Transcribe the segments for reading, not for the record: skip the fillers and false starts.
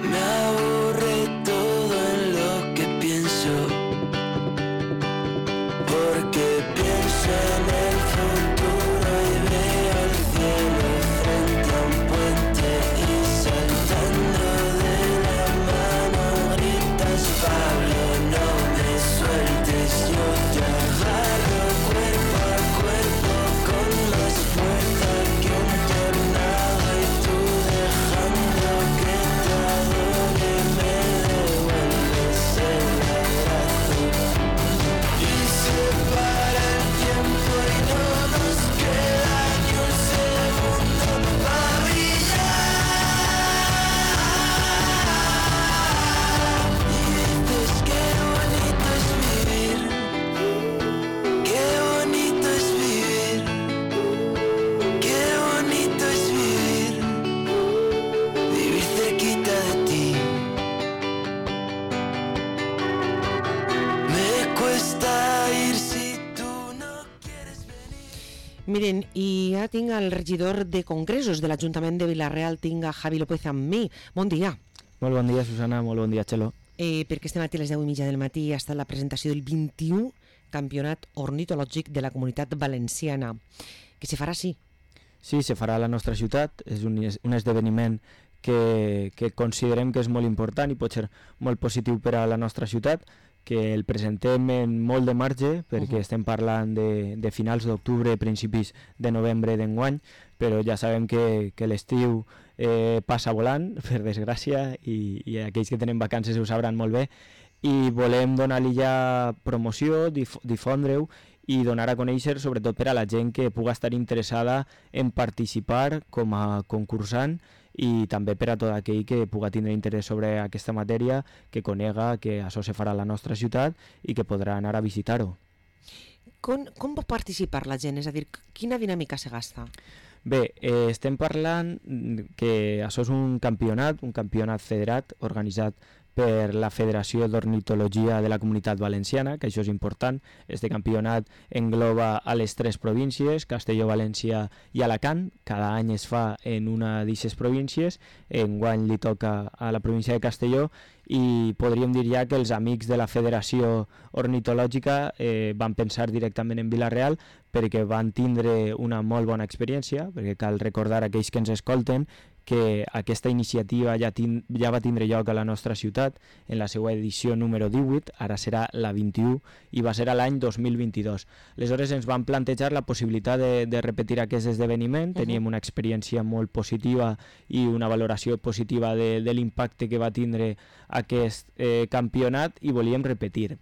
Me aburre todo en lo que pienso, porque pienso en el futuro y veo el cielo frente a un puente y saltando de la mano gritas: Pablo, no me sueltes, yo te agarro cuerpo a cuerpo con más fuerza que un tornado y tú dejando que te adore me devuelves el abrazo y se para el tiempo y no nos queda ni un segundo para brillar y dices qué bonito es vivir, qué bonito es vivir, qué bonito es vivir, vivir cerquita de ti. Me cuesta ir si tú no quieres venir. Miren, i ja tinc el regidor de Congressos de l'Ajuntament de Vila-real, tinc a Javi López amb mi. Bon dia. Molt bon dia, Susana, molt bon dia, Txelo. Perquè este matí a les 10:30 del matí ha estat la presentació del 21 Campionat Ornitològic de la Comunitat Valenciana, que se farà sí. Sí, se farà a la nostra ciutat, és un esdeveniment que considerem que és molt important i pot ser molt positiu per a la nostra ciutat, que el presentem en molt de marge, perquè estem parlant de finals d'octubre, principis de novembre d'enguany, però ja sabem que l'estiu passa volant, per desgràcia, i aquells que tenen vacances ho sabran molt bé, i volem donar-li ja promoció, difondre-ho i donar a conèixer, sobretot per a la gent que puga estar interessada en participar com a concursant i també per a tot aquell que puga tindre interès sobre aquesta matèria, que conega que això se farà a la nostra ciutat i que podrà anar a visitar-ho. Com pot participar la gent? És a dir, quina dinàmica se gasta? Bé, estem parlant que això és un campionat federat organitzat per la Federació d'Ornitologia de la Comunitat Valenciana, que això és important. Este campionat engloba a les 3 províncies, Castelló, València i Alacant. Cada any es fa en una d'aquestes províncies. Enguany li toca a la província de Castelló i podríem dir ja que els amics de la Federació Ornitològica van pensar directament en Vila-real perquè van tindre una molt bona experiència, perquè cal recordar a aquells que ens escolten que aquesta iniciativa ja va tindre lloc a la nostra ciutat en la seva edició número 18, ara serà la 21 i va ser a l'any 2022. Aleshores ens van plantejar la possibilitat de repetir aquest esdeveniment, teníem una experiència molt positiva i una valoració positiva de l'impacte que va tindre aquest campionat i volíem repetir.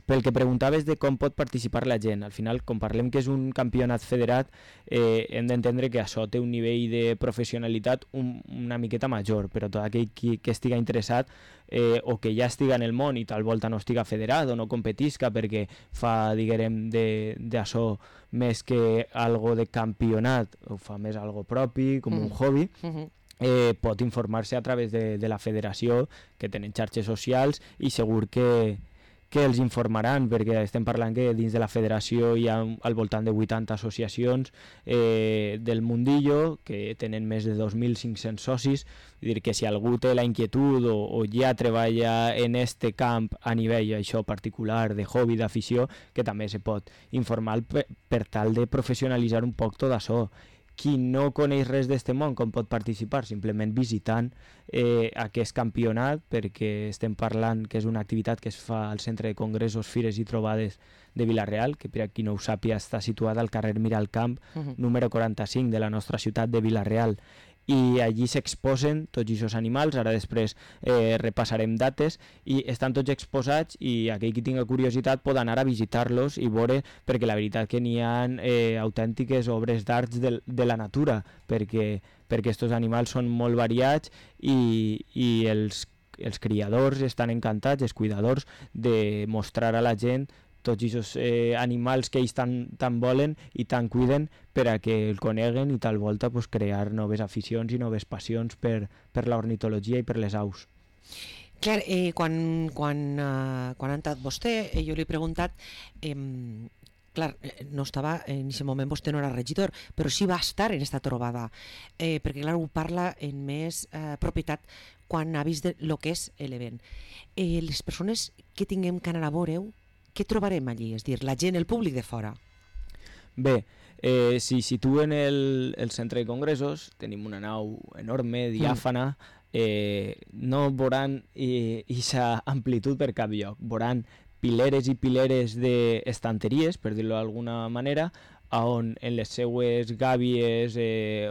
Pel que preguntaves de com pot participar la gent, al final, com parlem que és un campionat federat, hem d'entendre que això té un nivell de professionalitat una miqueta major, però tot aquell que estiga interessat o que ja estiga en el món i tal volta no estiga federat o no competisca perquè fa, diguem, d'això més que algo de campionat, o fa més algo propi, com un hobby, pot informar-se a través de la federació, que tenen xarxes socials i segur que els informaran, perquè estem parlant que dins de la federació hi ha al voltant de 80 associacions del mundillo que tenen més de 2.500 socis, vull dir que si algú té la inquietud o ja treballa en este camp a nivell això particular de hobby, d'afició, que també se pot informar per tal de professionalitzar un poc tot això. Qui no coneix res d'este món, com pot participar? Simplement visitant aquest campionat, perquè estem parlant que és una activitat que es fa al Centre de Congressos, Fires i Trobades de Vila-real, que per a qui no ho sàpiga està situat al carrer Miralcamp, número 45 de la nostra ciutat de Vila-real. I allí s'exposen tots aquests animals, ara després repassarem dates, i estan tots exposats i aquell qui tinga curiositat pot anar a visitar-los i veure, perquè la veritat que n'hi ha autèntiques obres d'art de la natura, perquè aquests animals són molt variats i els criadors estan encantats, els cuidadors, de mostrar a la gent tots aquests animals que ells tant volen i tant cuiden per a que el coneguen i tal volta crear noves aficions i noves passions per l'ornitologia i per les aus. Clar, quan ha entrat vostè, jo li he preguntat, clar, no estava en aquest moment vostè no era regidor, però sí va estar en esta trobada, perquè clar, ho parla en més propietat quan ha vist el que és l'event. Les persones que tinguem que anar a veure-ho, què trobarem allí? És dir, la gent, el públic de fora. Bé, si situen el centre de congressos, tenim una nau enorme, diàfana, no veuran aquesta amplitud per cap lloc. Veuran pileres i pileres d'estanteries, per dir-ho d'alguna manera, on en les seues gàbies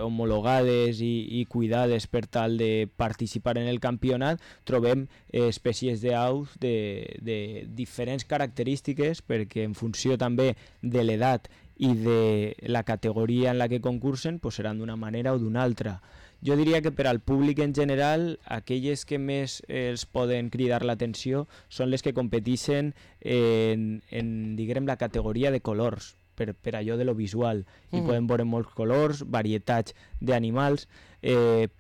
homologades i cuidades per tal de participar en el campionat trobem espècies d'aus de diferents característiques, perquè en funció també de l'edat i de la categoria en la que concursen pues seran d'una manera o d'una altra. Jo diria que per al públic en general aquelles que més els poden cridar l'atenció són les que competeixen en diguem, la categoria de colors, per allò de lo visual. Hi podem veure molts colors, varietats d'animals,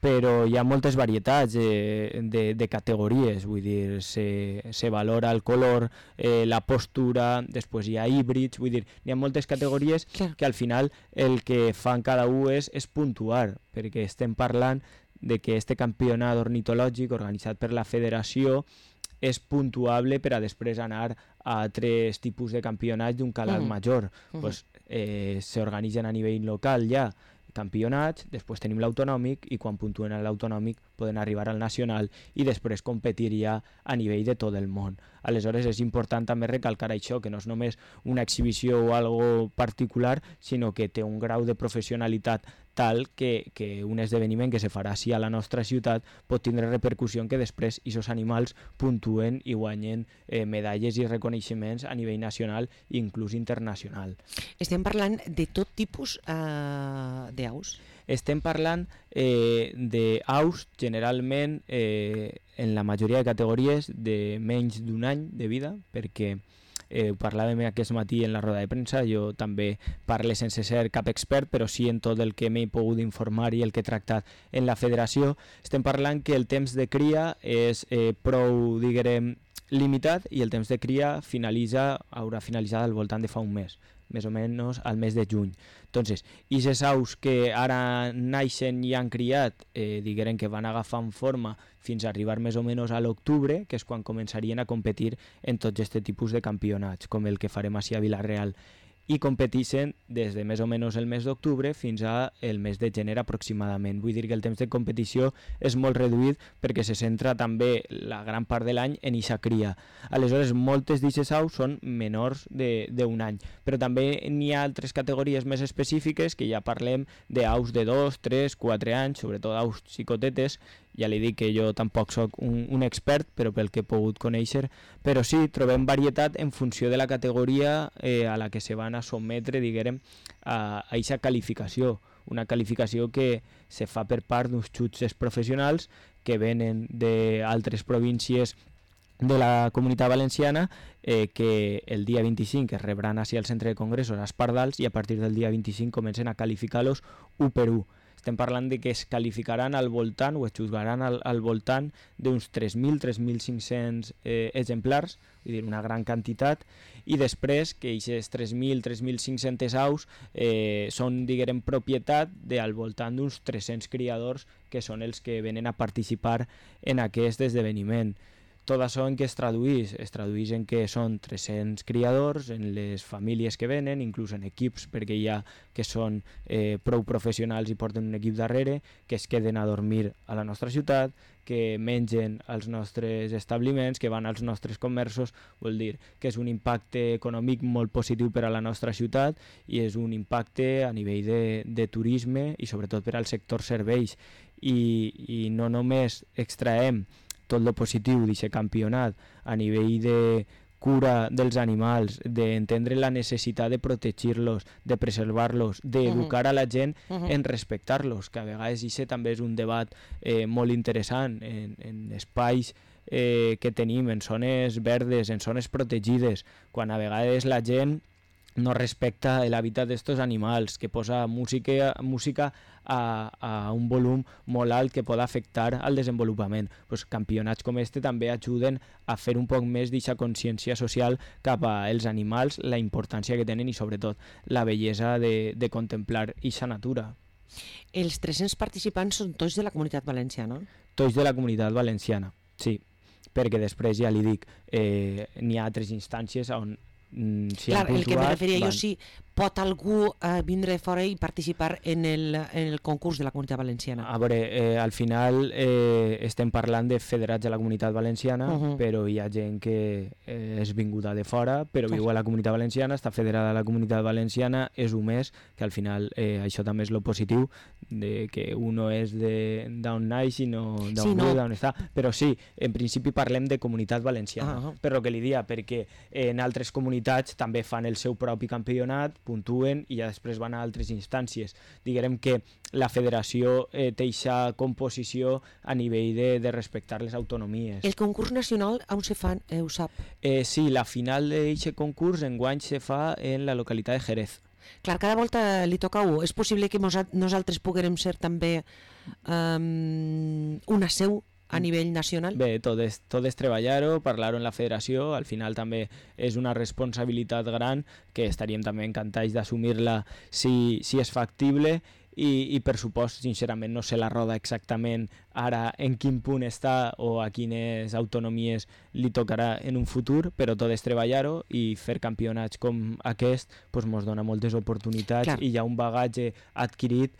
però hi ha moltes varietats de categories, vull dir, se valora el color, la postura, després hi ha híbrids, vull dir, hi ha moltes categories que al final el que fan cada un és puntuar, perquè estem parlant de que este campionat ornitològic organitzat per la federació és puntuable per a després anar a altres tipus de campionats d'un calat major. Pues, s'organitzen a nivell local ja campionats, després tenim l'autonòmic i quan puntuen a l'autonòmic poden arribar al nacional i després competir ja a nivell de tot el món. Aleshores és important també recalcar això, que no és només una exhibició o algo particular, sinó que té un grau de professionalitat tal que un esdeveniment que se farà així a la nostra ciutat pot tindre repercussió en que després aquests animals puntuen i guanyen medalles i reconeixements a nivell nacional i inclús internacional. Estem parlant de tot tipus d'aus? Estem parlant d'aus generalment en la majoria de categories de menys d'un any de vida, perquè ho parlàvem aquest matí en la roda de premsa, jo també parlo sense ser cap expert, però sí en tot el que m'he pogut informar i el que he tractat en la federació. Estem parlant que el temps de cria és prou, diguem, limitat i el temps de cria haurà finalitzat al voltant de fa un mes, més o menys al mes de juny. Entonces, aquestes aus que ara naixen i han criat, diguem que van agafant forma fins a arribar més o menys a l'octubre, que és quan començarien a competir en tots aquests tipus de campionats, com el que farem així a Vila-real, i competeixen des de més o menys el mes d'octubre fins al mes de gener aproximadament. Vull dir que el temps de competició és molt reduït perquè se centra també la gran part de l'any en eixa cria. Aleshores, moltes d'aquestes aus són menors d'un any, però també n'hi ha altres categories més específiques que ja parlem d'aus de 2, 3, 4 anys, sobretot aus xicotetes. Ja li dic que jo tampoc sóc un expert, però pel que he pogut conèixer, però sí, trobem varietat en funció de la categoria a la que se van a sotmetre, diguem, a aquesta qualificació. Una qualificació que se fa per part d'uns jutges professionals que venen d'altres províncies de la Comunitat Valenciana, que el dia 25 es rebran així al centre de congressos als Pardals i a partir del dia 25 comencen a qualificar-los un per un. Estem parlant de que es qualificaran al voltant o es juzgaran al voltant d'uns 3.000-3.500 exemplars, vull dir, una gran quantitat, i després que aquestes 3.000-3.500 aus són, diguem, propietat al voltant d'uns 300 criadors que són els que venen a participar en aquest esdeveniment. Tot això en què es tradueix? Es tradueix en que són 300 criadors, en les famílies que venen, inclús en equips, perquè hi ha que són prou professionals i porten un equip darrere, que es queden a dormir a la nostra ciutat, que mengen als nostres establiments, que van als nostres comerços. Vol dir que és un impacte econòmic molt positiu per a la nostra ciutat i és un impacte a nivell de turisme i sobretot per al sector serveis. I no només extraem tot lo positiu d'aquest campionat a nivell de cura dels animals, d'entendre la necessitat de protegir-los, de preservar-los, d'educar a la gent en respectar-los, que a vegades això també és un debat molt interessant en espais que tenim, en zones verdes, en zones protegides, quan a vegades la gent no respecta l'hàbitat d'estos animals, que posa música a un volum molt alt que pot afectar al desenvolupament. Pues campionats com este també ajuden a fer un poc més d'aquesta consciència social cap als animals, la importància que tenen i sobretot la bellesa de contemplar aquesta natura. Els 300 participants són tots de la Comunitat Valenciana? Tots de la Comunitat Valenciana, sí, perquè després ja li dic, n'hi ha altres instàncies on Clar, el que me referia jo, si pot algú vindre de fora i participar en el concurs de la Comunitat Valenciana. A veure, al final estem parlant de federats de la Comunitat Valenciana, però hi ha gent que és vinguda de fora, però viu a la Comunitat Valenciana, està federada a la Comunitat Valenciana, és un mes, que al final això també és lo positiu, de que uno és d'on naix i no d'on viu, d'on està. Però sí, en principi parlem de Comunitat Valenciana, per lo que li dia, perquè en altres comunitats també fan el seu propi campionat, puntuen i ja després van a altres instàncies. Diguem que la federació té aquesta composició a nivell de respectar les autonomies. El concurs nacional on se fan, ho sap? Sí, la final d'aquest concurs enguany se fa en la localitat de Jerez. Clar, cada volta li toca a un. És possible que nosaltres puguem ser també una seu a nivell nacional? Bé, tot és treballar-ho, parlar-ho en la federació, al final també és una responsabilitat gran que estaríem també encantats d'assumir-la si és factible i per supost, sincerament, no sé la roda exactament ara en quin punt està o a quines autonomies li tocarà en un futur, però tot és treballar-ho i fer campionats com aquest ens dona moltes oportunitats. Clar. I hi ha un bagatge adquirit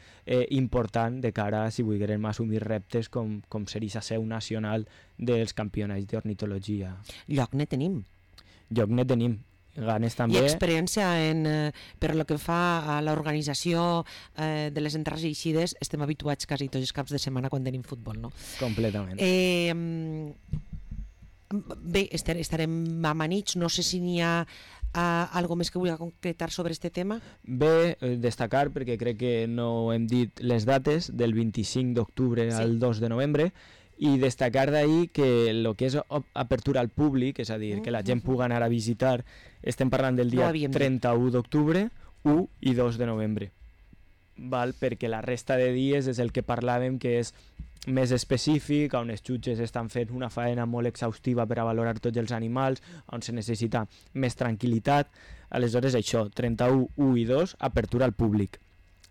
important de cara a si volguérem assumir reptes com ser la seu nacional dels campionats d'ornitologia. Lloc ne tenim. Lloc ne tenim. Ganes també. I experiència per lo que fa a l'organització de les entrades i eixides, estem habituats quasi tots els caps de setmana quan tenim futbol, no? Completament. Bé, estarem amanits, no sé si n'hi ha algo més que vulgui concretar sobre este tema. Bé, destacar, perquè crec que no hem dit les dates, del 25 d'octubre al 2 de novembre, i destacar d'ahir que el que és apertura al públic, és a dir, que la gent pugui anar a visitar, estem parlant del dia 31 d'octubre, 1 i 2 de novembre. Val? Perquè la resta de dies és el que parlàvem, que és més específic, on els jutges estan fent una faena molt exhaustiva per a valorar tots els animals, on se necessita més tranquil·litat. Aleshores això, 31, 1 i 2, apertura al públic.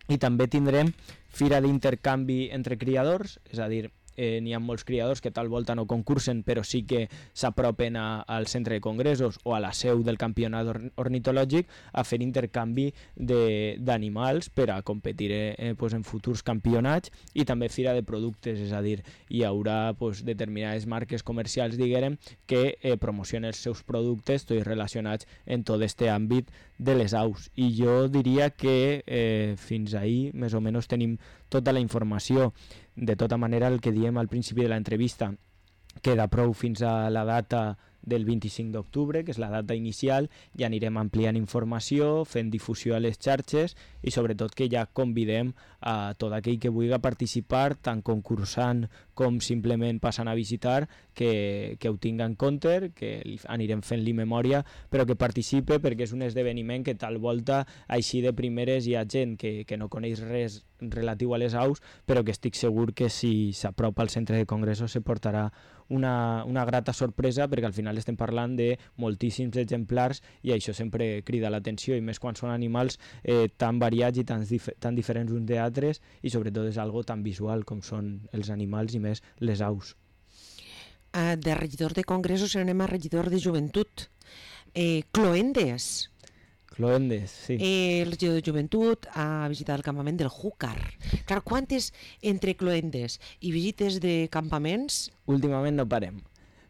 I també tindrem fira d'intercanvi entre criadors, és a dir, n'hi ha molts criadors que tal volta no concursen, però sí que s'apropen al centre de congressos o a la seu del campionat ornitològic a fer intercanvi d'animals per a competir en futurs campionats, i també fira de productes, és a dir, hi haurà determinades marques comercials, diguem, que promocionen els seus productes tots relacionats en tot aquest àmbit de les aus. I jo diria que fins ahir més o menys tenim tota la informació. De tota manera, el que diem al principi de l'entrevista queda prou fins a la data del 25 d'octubre, que és la data inicial, i anirem ampliant informació, fent difusió a les xarxes i sobretot que ja convidem a tot aquell que vulgui participar, tant concursant com simplement passant a visitar, que ho tingui en compte, que anirem fent-li memòria, però que participe, perquè és un esdeveniment que tal volta així de primeres hi ha gent que no coneix res relatiu a les aus, però que estic segur que si s'apropa al centre de congressos se portarà una grata sorpresa, perquè al final estem parlant de moltíssims exemplars i això sempre crida l'atenció, i més quan són animals tan variats i tan diferents uns d'altres, i sobretot és algo tan visual com són els animals i més les aus. De regidor de congressos anem a regidor de joventut. Cloendes. Cloendes, sí. El regidor de joventut ha visitat el campament del Júcar. Clar, quantes entre cloendes i visites de campaments? Últimament no parem.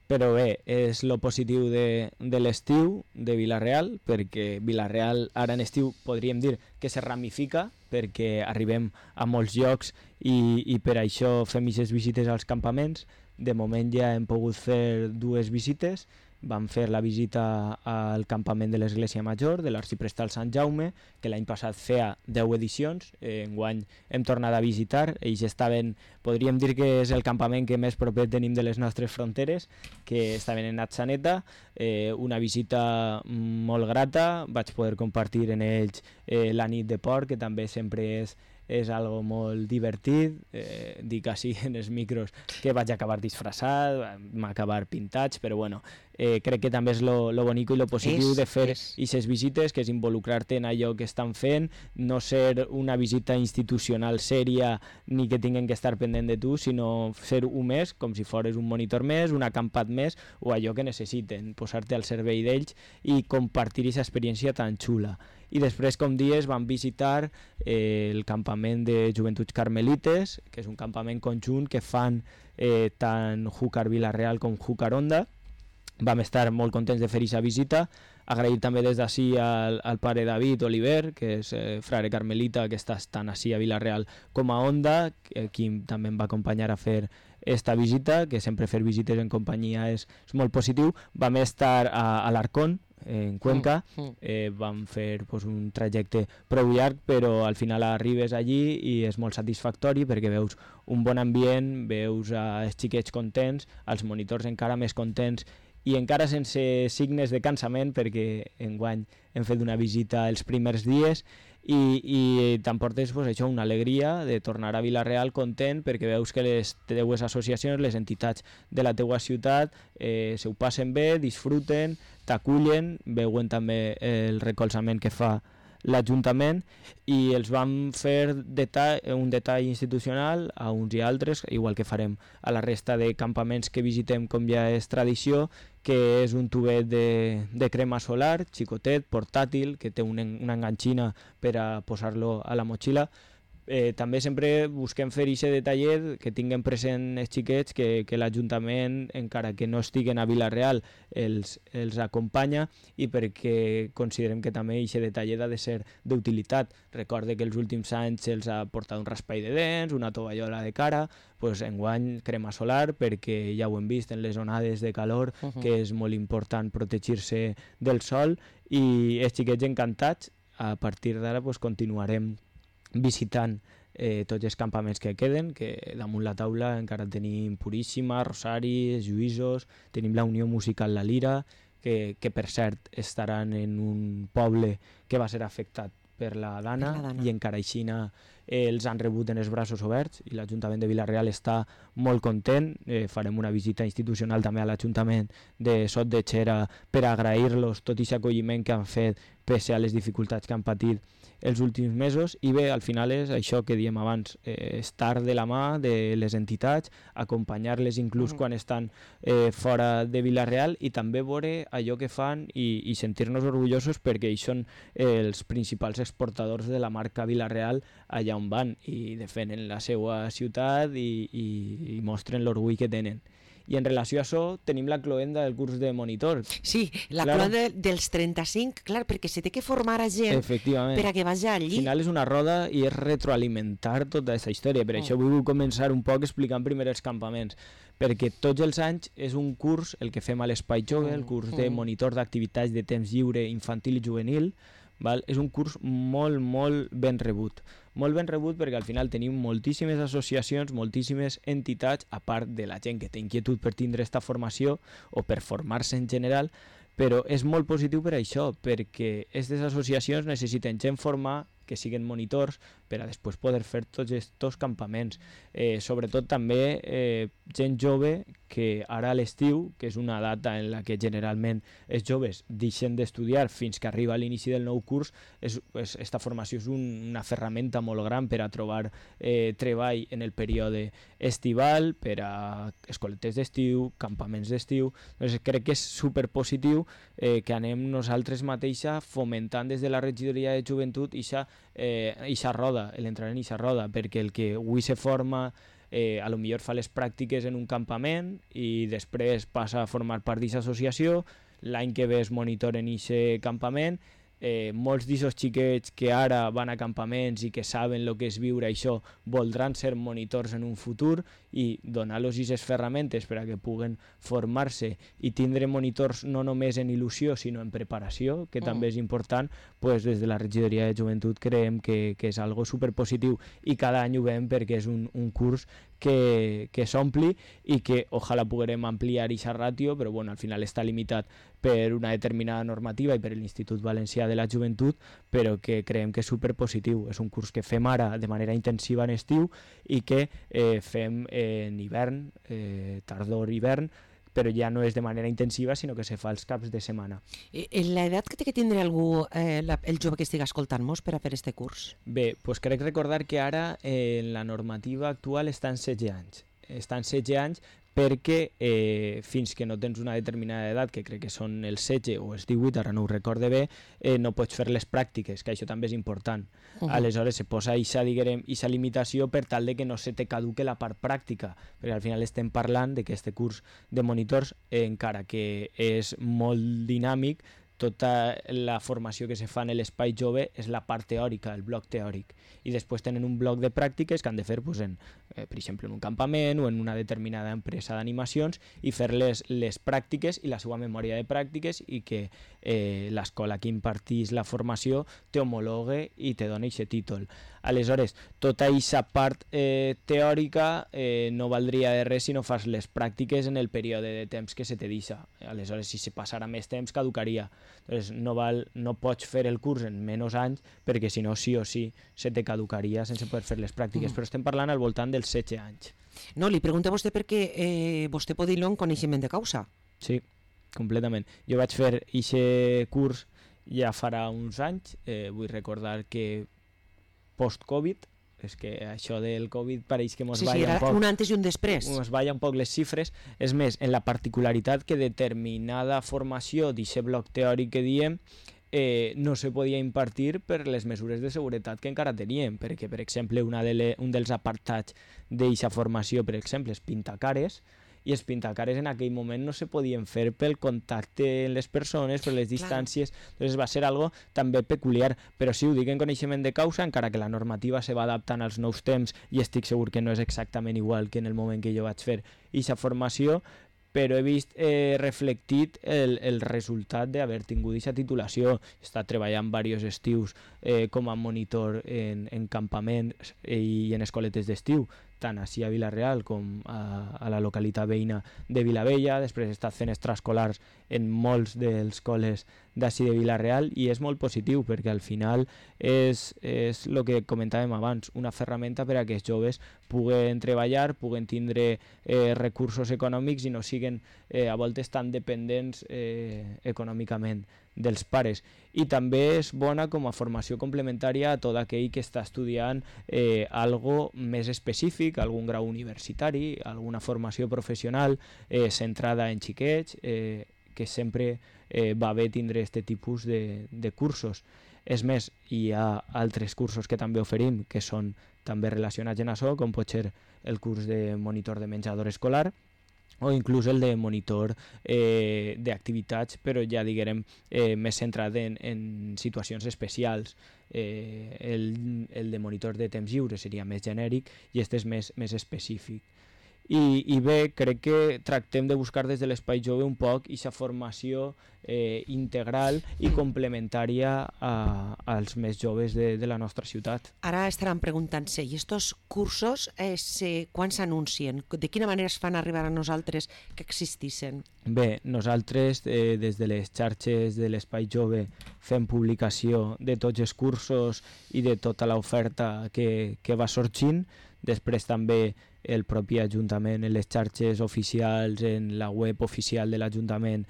Però bé, és lo positiu de l'estiu de Vila-real, perquè Vila-real ara en estiu podríem dir que se ramifica, perquè arribem a molts llocs i per això fem aquestes visites als campaments. De moment ja hem pogut fer 2 visites vam fer la visita al campament de l'Església Major de l'Arxiprestal Sant Jaume, que l'any passat feia 10 edicions, enguany hem tornat a visitar. Ells estaven, podríem dir que és el campament que més proper tenim de les nostres fronteres, que estaven en Atxaneta, una visita molt grata, vaig poder compartir en ells la nit de porc, que també sempre és algo molt divertit, dic així en els micros que vaig acabar disfressat, vam acabar pintats, però bueno, crec que també és lo bonico i lo positiu de fer aquestes visites, que és involucrar-te en allò que estan fent, no ser una visita institucional sèria ni que tinguen que estar pendent de tu, sinó ser un més, com si fores un monitor més, un acampat més, o allò que necessiten, posar-te al servei d'ells i compartir aquesta experiència tan xula. I després, com dies, vam visitar el campament de Joventuts Carmelites, que és un campament conjunt que fan tant Júcar Vila-real com Júcar Onda. Vam estar molt contents de fer aquesta visita, agrair també des d'ací al pare David Oliver, que és frare carmelita, que està tant ací a Vila-real com a Onda, qui també em va acompanyar a fer esta visita, que sempre fer visites en companyia és molt positiu. Vam estar a l'Arcón, en Cuenca, vam fer un trajecte prou llarg, però al final arribes allí i és molt satisfactori perquè veus un bon ambient, veus els xiquets contents, els monitors encara més contents i encara sense signes de cansament, perquè enguany hem fet una visita els primers dies i t'emportes això, una alegria de tornar a Vila-real content perquè veus que les teues associacions, les entitats de la teua ciutat s'ho passen bé, disfruten, t'acullen, veuen també el recolzament que fa l'Ajuntament i els vam fer un detall institucional a uns i altres, igual que farem a la resta de campaments que visitem com ja és tradició, que és un tubet de crema solar, xicotet, portàtil, que té una enganxina per a posar-lo a la motxilla. També sempre busquem fer aquest detallet, que tinguem present els xiquets, que l'Ajuntament, encara que no estiguen a Vila-real, els acompanya i perquè considerem que també aquest detallet ha de ser d'utilitat. Recorde que els últims anys se'ls ha portat un raspall de dents, una tovallola de cara, enguany crema solar, perquè ja ho hem vist en les onades de calor, que és molt important protegir-se del sol, i els xiquets encantats. A partir d'ara continuarem visitant tots els campaments que queden, que damunt la taula encara tenim Puríssima, Rosaris, Lluïsos, tenim la Unió Musical La Lira, que per cert estaran en un poble que va ser afectat per la Dana, i encara aixina els han rebut en els braços oberts i l'Ajuntament de Vila-real està molt content. Farem una visita institucional també a l'Ajuntament de Sot de Xera per agrair-los tot aquest acolliment que han fet pese a les dificultats que han patit els últims mesos. I bé, al final és això que diem abans, estar de la mà de les entitats, acompanyar-les inclús quan estan fora de Vila-real, i també veure allò que fan i sentir-nos orgullosos perquè ells són els principals exportadors de la marca Vila-real allà on van i defenen la seva ciutat i mostren l'orgull que tenen. I en relació a això tenim la cloenda del curs de monitor. Sí, la cloenda dels 35, clar, perquè se té que formar a gent per a que vagi allí. Al final és una roda i és retroalimentar tota aquesta història. Per això vull començar un poc explicant primer els campaments, perquè tots els anys és un curs, el que fem a l'Espai Jove, el curs de monitor d'activitats de temps lliure infantil i juvenil, és un curs molt, molt ben rebut. Molt ben rebut perquè al final tenim moltíssimes associacions, moltíssimes entitats, a part de la gent que té inquietud per tindre aquesta formació o per formar-se en general, però és molt positiu per això, perquè aquestes associacions necessiten gent formada, que siguin monitors, per a després poder fer tots aquests campaments. Sobretot també gent jove que ara a l'estiu, que és una data en la que generalment els joves deixen d'estudiar fins que arriba l'inici del nou curs, aquesta formació és una ferramenta molt gran per a trobar treball en el període estival, per a escoletes d'estiu, campaments d'estiu. Doncs crec que és superpositiu que anem nosaltres mateixa fomentant des de la regidoria de joventut ixa roda, l'entrar en ixa roda, perquè el que avui se forma a lo millor fa les pràctiques en un campament i després passa a formar part d'aquesta associació, l'any que ve és monitor en aquest campament. Molts d'aquests xiquets que ara van a campaments i que saben el que és viure això voldran ser monitors en un futur i donar-los aquestes ferramentes per a que puguen formar-se i tindre monitors no només en il·lusió sinó en preparació, que també és important, pues des de la regidoria de joventut creiem que és algo superpositiu i cada any ho veiem perquè és un curs que s'ompli i que ojalà puguem ampliar aquesta ràtio, però bueno, al final està limitat per una determinada normativa i per l'Institut Valencià de la Joventut, però que creiem que és superpositiu. És un curs que fem ara de manera intensiva en estiu i que fem en hivern, tardor-hivern, però ja no és de manera intensiva, sinó que se fa els caps de setmana. L'edat que té que tindre algú, el jove que estigui escoltant-nos per a fer este curs? Bé, doncs crec recordar que ara la normativa actual està en 16 anys. Està en 16 anys perquè fins que no tens una determinada edat, que crec que són els 16 o els 18, ara no ho recorde bé, no pots fer les pràctiques, que això també és important. Aleshores se posa aquesta limitació per tal de que no se te caduque la part pràctica, perquè al final estem parlant de que este curs de monitors, encara que és molt dinàmic, tota la formació que se fa en l'espai jove és la part teòrica, el bloc teòric, i després tenen un bloc de pràctiques que han de fer, pues, per exemple, en un campament o en una determinada empresa d'animacions i fer les pràctiques i la seva memòria de pràctiques i que l'escola que impartís la formació t'homologue i te doni aquest títol. Aleshores, tota aquesta part teòrica no valdria de res si no fas les pràctiques en el període de temps que se te deixa. Aleshores, si se passara més temps, caducaria. Entonces, no pots fer el curs en menys anys perquè si no, sí o sí, se te caducaria sense poder fer les pràctiques. Però estem parlant al voltant dels 16 anys. No, li pregunto a vostè perquè vostè pot dir-lo en coneixement de causa. Sí, completament. Jo vaig fer aquest curs ja farà uns anys. Vull recordar que post-Covid, és que això del Covid pareix que mos balla un poc. Un antes i un després. Mos balla un poc les xifres. És més, en la particularitat que determinada formació d'aquest bloc teòric que diem no se podia impartir per les mesures de seguretat que encara teníem, perquè, per exemple, un dels apartats d'aquesta formació, per exemple, és pintacares, i els pintacares en aquell moment no se podien fer pel contacte amb les persones, per les distàncies, doncs va ser algo també peculiar, però sí ho dic en coneixement de causa, encara que la normativa se va adaptant als nous temps i estic segur que no és exactament igual que en el moment que jo vaig fer aquesta formació, però he vist reflectit el resultat d'haver tingut aquesta titulació. He estat treballant diversos estius com a monitor en campaments i en escoletes d'estiu, tant així a Vila-real com a la localitat veïna de Vilavella. Després he estat fent extraescolars en molts dels col·les d'ací de Vila-real i és molt positiu perquè al final és el que comentàvem abans, una ferramenta per a que els joves puguen treballar, puguen tindre recursos econòmics i no siguen a voltes tan dependents econòmicament dels pares. I també és bona com a formació complementària a tot aquell que està estudiant algo més específic, algun grau universitari, alguna formació professional centrada en xiquets, que sempre va bé tindre aquest tipus de cursos. És més, hi ha altres cursos que també oferim que són també relacionats en això, com pot ser el curs de monitor de menjador escolar, o inclús el de monitor d'activitats, però ja diguem més centrat en situacions especials. El de monitor de temps lliure seria més genèric i aquest és més específic. I bé, crec que tractem de buscar des de l'Espai Jove un poc aquesta formació integral i complementària als més joves de la nostra ciutat. Ara estaran preguntant-se, i estos cursos quan s'anuncien? De quina manera es fan arribar a nosaltres que existissin? Bé, nosaltres des de les xarxes de l'Espai Jove fem publicació de tots els cursos i de tota l'oferta que va sorgint. Després també el propi Ajuntament en les xarxes oficials, en la web oficial de l'Ajuntament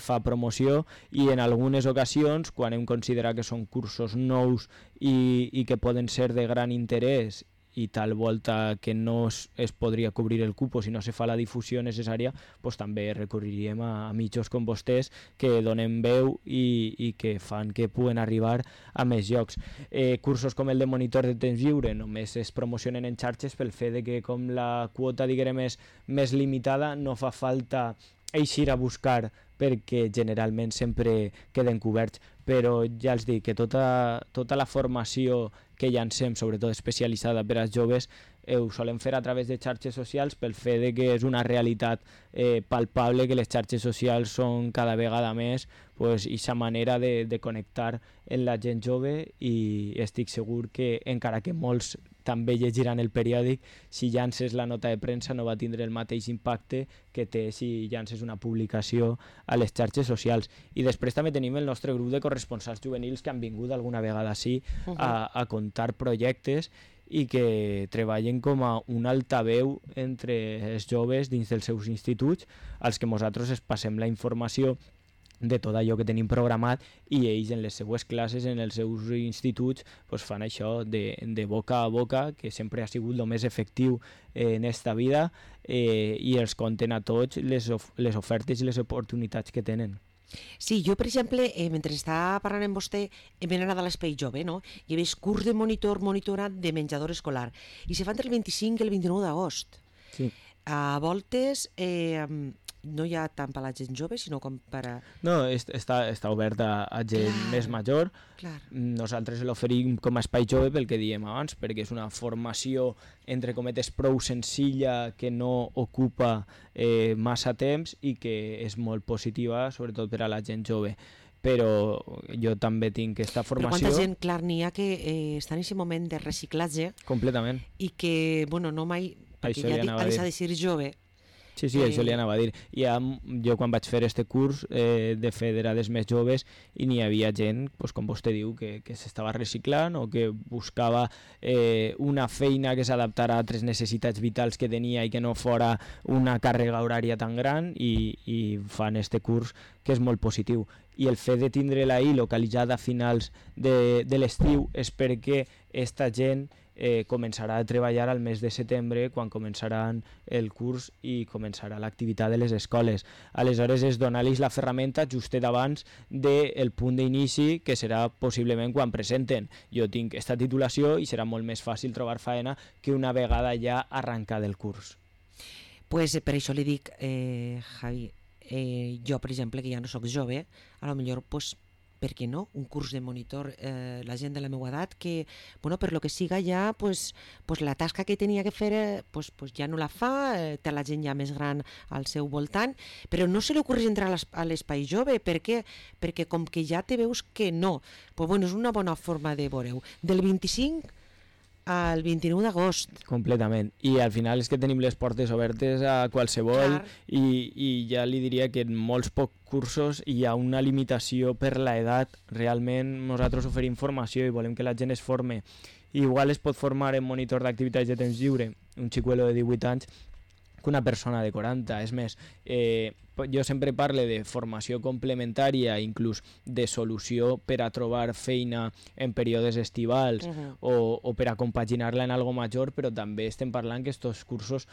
fa promoció i en algunes ocasions, quan hem considerat que són cursos nous i que poden ser de gran interès i tal volta que no es podria cobrir el cupo si no se fa la difusió necessària, doncs també recorreríem a mitjos com vostès que donen veu i que fan que puguen arribar a més llocs. Cursos com el de monitor de temps lliure només es promocionen en xarxes pel fet de que com la quota diguem és més limitada no fa falta eixir a buscar perquè generalment sempre queden coberts, però ja els dic que tota la formació que llancem, sobretot especialitzada per als joves, ho solem fer a través de xarxes socials pel fet de que és una realitat palpable, que les xarxes socials són cada vegada més aquesta manera de connectar amb la gent jove, i estic segur que encara que molts també llegiran el periòdic, si llances la nota de premsa no va tindre el mateix impacte que té si llances una publicació a les xarxes socials. I després també tenim el nostre grup de corresponsals juvenils que han vingut alguna vegada així a contar projectes i que treballen com a un altaveu entre els joves dins dels seus instituts, als que nosaltres es passem la informació de tot allò que tenim programat, i ells en les seues classes, en els seus instituts, fan això de boca a boca, que sempre ha sigut el més efectiu en esta vida, i els conten a tots les ofertes i les oportunitats que tenen. Sí, jo, per exemple, mentre estava parlant amb vostè, m'he anat a l'Espai Jove, no? I he vist curs de monitorat de menjador escolar, i se fan entre el 25 i el 29 d'agost. Sí. A voltes no hi ha tant per a la gent jove, sinó com per a... No, està obert a gent més major. Clar. Nosaltres l'oferim com a espai jove pel que diem abans, perquè és una formació, entre cometes, prou senzilla, que no ocupa massa temps i que és molt positiva, sobretot per a la gent jove. Però jo també tinc aquesta formació... Però quanta gent, clar, n'hi ha que està en aquest moment de reciclatge... Completament. I que, bueno, no mai... Perquè ja ha de ser jove... Sí, això li anava a dir. Jo quan vaig fer este curs de federades més joves, i n'hi havia gent, com vostè diu, que s'estava reciclant o que buscava una feina que s'adaptara a altres necessitats vitals que tenia i que no fora una càrrega horària tan gran, i fan este curs que és molt positiu. I el fet de tindre-la ahir localitzada a finals de l'estiu és perquè esta gent començarà a treballar al mes de setembre, quan començaran el curs i començarà l'activitat de les escoles. Aleshores és donar-los la ferramenta justet abans del punt d'inici, que serà possiblement quan presenten. Jo tinc aquesta titulació i serà molt més fàcil trobar feina que una vegada ja arrencat el curs. Pues per això li dic, Javi, jo, per exemple, que ja no sóc jove, a lo millor, per què no? Un curs de monitor, la gent de la meva edat, que, bueno, per lo que siga ja, la tasca que tenia que fer, ja no la fa, té la gent ja més gran al seu voltant, però no se li ocorre entrar a l'espai jove. Per què? Perquè com que ja te veus que no. Bueno, és una bona forma de veure-ho. Del 25 al 29 d'agost. Completament. I al final és que tenim les portes obertes a qualsevol, i ja li diria que en molts pocs cursos hi ha una limitació per l'edat. Realment nosaltres oferim formació i volem que la gent es forme. Igual es pot formar en monitor d'activitats de temps lliure un xicuelo de 18 anys que una persona de 40. És més, jo sempre parlo de formació complementària, inclús de solució per a trobar feina en períodes estivals o per a compaginar-la en algo major, però també estem parlant que aquests cursos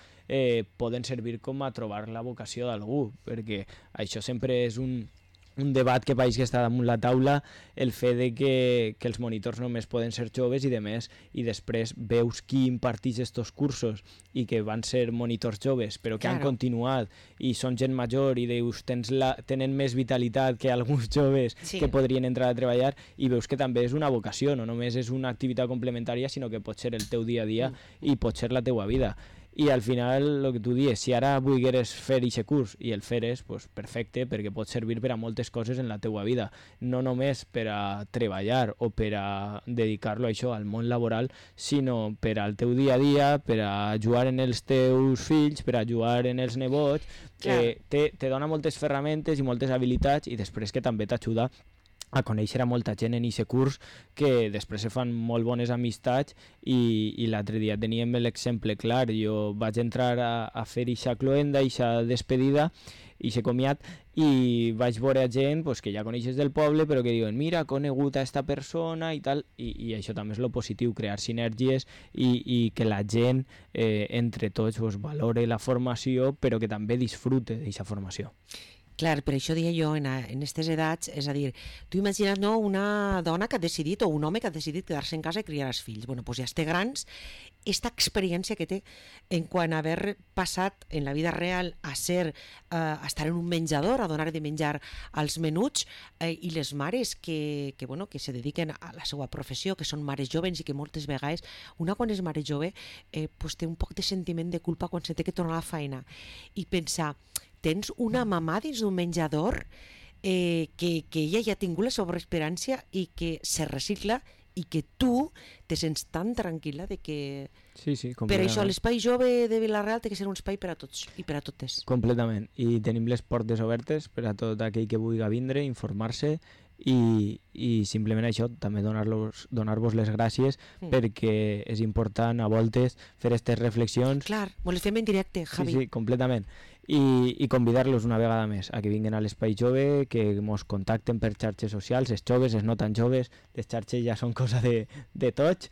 poden servir com a trobar la vocació d'algú, perquè això sempre és un debat que veig que està damunt la taula, el fet de que els monitors només poden ser joves i de més, i després veus qui imparteix aquests cursos i que van ser monitors joves però que han continuat i són gent major, i dius tenen més vitalitat que alguns joves que podrien entrar a treballar, i veus que també és una vocació, no només és una activitat complementària, sinó que pot ser el teu dia a dia i pot ser la teua vida. I al final, el que tu dius, si ara volgueres fer aquest curs i el feres, perfecte, perquè pot servir per a moltes coses en la teua vida, no només per a treballar o per a dedicar-lo a això, al món laboral, sinó per al teu dia a dia, per a jugar en els teus fills, per a jugar en els nebots. Te dona moltes ferramentes i moltes habilitats, i després que també t'ajuda a conèixer a molta gent en aquest curs, que després se fan molt bones amistats, i l'altre dia teníem l'exemple clar. Jo vaig entrar a fer aquesta cloenda, aquesta despedida, i s'he comiat, i vaig veure gent que ja coneixes del poble, però que diuen, mira, he conegut a aquesta persona i tal, i això també és lo positiu, crear sinergies i que la gent entre tots valore la formació, però que també disfrute d'aquesta formació. Clar, per això deia jo, en aquestes edats, és a dir, tu imagina't, no, una dona que ha decidit, o un home que ha decidit quedar-se en casa i criar els fills. Bueno, doncs ja es té grans, esta experiència que té en quant a haver passat en la vida real a ser, a estar en un menjador, a donar de menjar als menuts, i les mares que se dediquen a la seva professió, que són mares joves i que moltes vegades, una quan és mare jove, pues té un poc de sentiment de culpa quan se té que tornar a la feina i pensar, tens una mamà dins d'un menjador que ella ja ha tingut la seva experiència i que se recicla i que tu te sents tan tranquil·la de que... Sí, sí, per completament. això l'espai jove de Vila-real té que ser un espai per a tots i per a totes. Completament. I tenim les portes obertes per a tot aquell que vulgui vindre, informar-se i simplement això, també donar-vos les gràcies perquè és important a voltes fer aquestes reflexions. Clar, me les fem en directe, Javi. Sí, sí, completament. I convidar-los una vegada més a que vinguin a l'Espai Jove, que ens contacten per xarxes socials, els joves, els no tan joves, les xarxes ja són cosa de tots.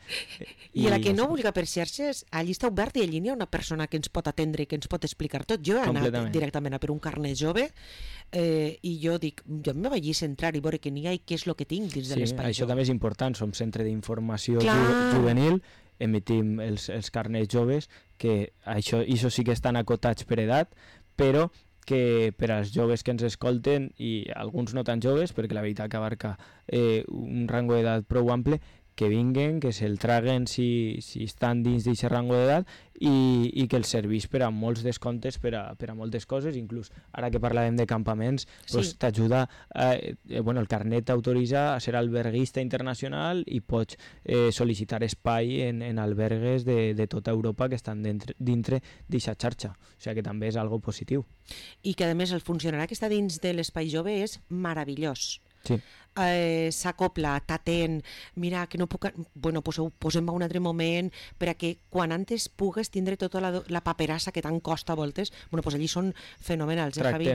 I a la que no vulgui per xarxes, allí està obert i allí hi ha una persona que ens pot atendre i que ens pot explicar tot. Jo he anat directament a per un carnet jove i jo dic, jo me vaig centrar i veure què n'hi ha i què és el que tinc dins de l'Espai Jove. Això també és important, som centre d'informació juvenil, emitim els carnets joves, que això sí que estan acotats per edat, però que per als joves que ens escolten, i alguns no tan joves, perquè la veritat que abarca un rango d'edat prou ample, que vinguen, que se'l traguen si estan dins d'aquest rango d'edat i que els serveix per a molts descomptes per a moltes coses, inclús ara que parlàvem de campaments, pues, t'ajuda, el carnet t'autoritza a ser alberguista internacional i pots sol·licitar espai en albergues de tota Europa que estan dintre d'aquesta xarxa, o sigui que també és algo positiu. I que a més el funcionari que està dins de l'Espai Jove és meravellós. Sí. S'acopla, t'atén, mira que no puc... Bueno, pues ho posem a un altre moment per a que quan antes pugues tindre tota la paperassa que tant costa a voltes, bueno, pues allí són fenomenals, Javi?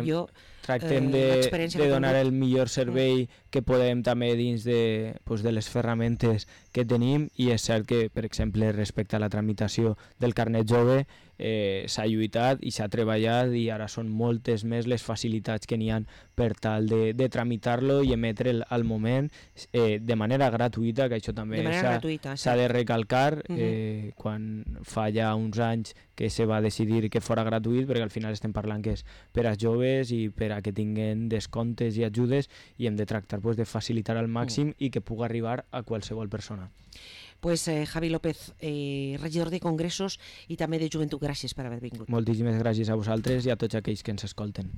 Tractem de donar el millor servei que podem també dins de les ferramentes que tenim, i és cert que, per exemple, respecte a la tramitació del carnet jove, s'ha lluitat i s'ha treballat i ara són moltes més les facilitats que n'hi ha per tal de tramitar-lo i emetre'l al moment de manera gratuïta, que això també s'ha de recalcar quan fa ja uns anys que se va decidir que fora gratuït, perquè al final estem parlant que és per als joves i per a que tinguin descomptes i ajudes, i hem de tractar de facilitar al màxim i que pugui arribar a qualsevol persona. Pues Javi López, regidor de Congressos i també de Joventut, gràcies per haver vingut. Moltíssimes gràcies a vosaltres i a tots aquells que ens escolten.